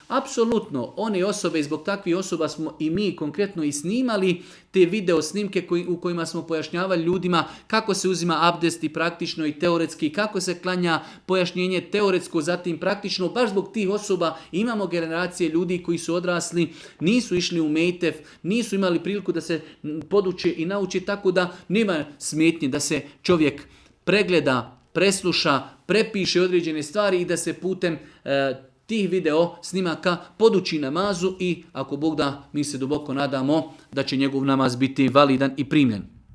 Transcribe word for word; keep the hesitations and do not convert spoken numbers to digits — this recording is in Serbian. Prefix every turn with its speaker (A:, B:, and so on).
A: Apsolutno, one osobe, i zbog takvih osoba smo i mi konkretno i snimali te video snimke koji, u kojima smo pojašnjavali ljudima kako se uzima abdest i praktično i teoretski, kako se klanja, pojašnjenje teoretsko, zatim praktično. Baš zbog tih osoba imamo generacije ljudi koji su odrasli, nisu išli u mejtef, nisu imali priliku da se poduče i nauče, tako da nema smetnje da se čovjek pregleda, presluša, prepiše određene stvari i da se putem e, tih video snimaka poduči namazu i ako Bog da, mi se duboko nadamo da će njegov namaz biti validan i primljen.